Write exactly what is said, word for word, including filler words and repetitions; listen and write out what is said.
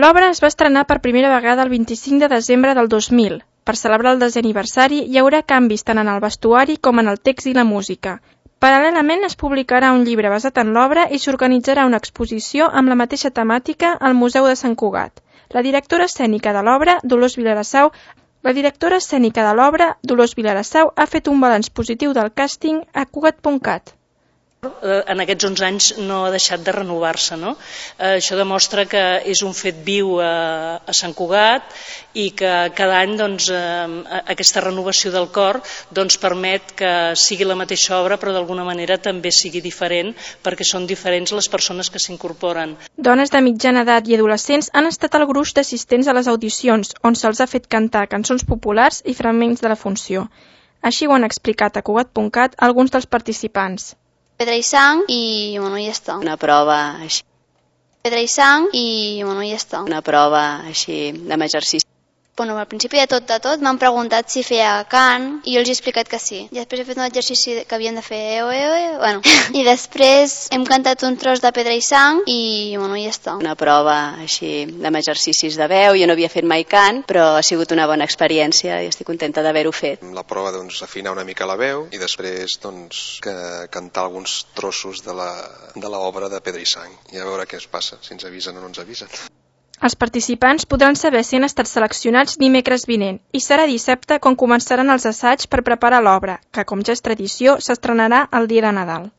L'obra es va estrenar per primera vegada el vint-i-cinc de desembre del dos mil. Per celebrar el desè aniversari hi haurà canvis tant en el vestuari com en el text i la música. Paral·lelament es publicarà un llibre basat en l'obra i s'organitzarà una exposició amb la mateixa temàtica al Museu de Sant Cugat. La directora escènica de l'obra, Dolors Vilarassau, la directora escènica de l'obra, Dolors Vilarassau, ha fet un balanç positiu del càsting a Cugat punt cat. En aquests onze anys no ha deixat de renovar-se, no? Això demostra que és un fet viu a, a Sant Cugat i que cada any doncs, aquesta renovació del cor doncs, permet que sigui la mateixa obra però d'alguna manera també sigui diferent perquè són diferents les persones que s'incorporen. Dones de mitjana edat i adolescents han estat el gruix d'assistents a les audicions on se'ls ha fet cantar cançons populars i fragments de la funció. Així ho han explicat a Cugat punt cat alguns dels participants. Pedra i sang i, bueno, ja està. Una prova així. Pedra i sang i, bueno, ja està. Una prova així amb exercici. Bueno, al principi de tot de tot m'han preguntat si feia cant i jo els he explicat que sí. I després he fet un exercici que havien de fer eo, eo, eo, bueno. I després hem cantat un tros de Pedra i sang i, bueno, ja està. Una prova així amb exercicis de veu. Jo no havia fet mai cant, però ha sigut una bona experiència i estic contenta d'haver-ho fet. La prova, doncs, afinar una mica la veu i després, doncs, que cantar alguns trossos de la, de l'obra de Pedra i sang i a veure què es passa, si ens avisen o no ens avisen. Els participants podran saber si han estat seleccionats dimecres vinent i serà dissabte quan començaran els assaigs per preparar l'obra, que, com ja és tradició, s'estrenarà el dia de Nadal.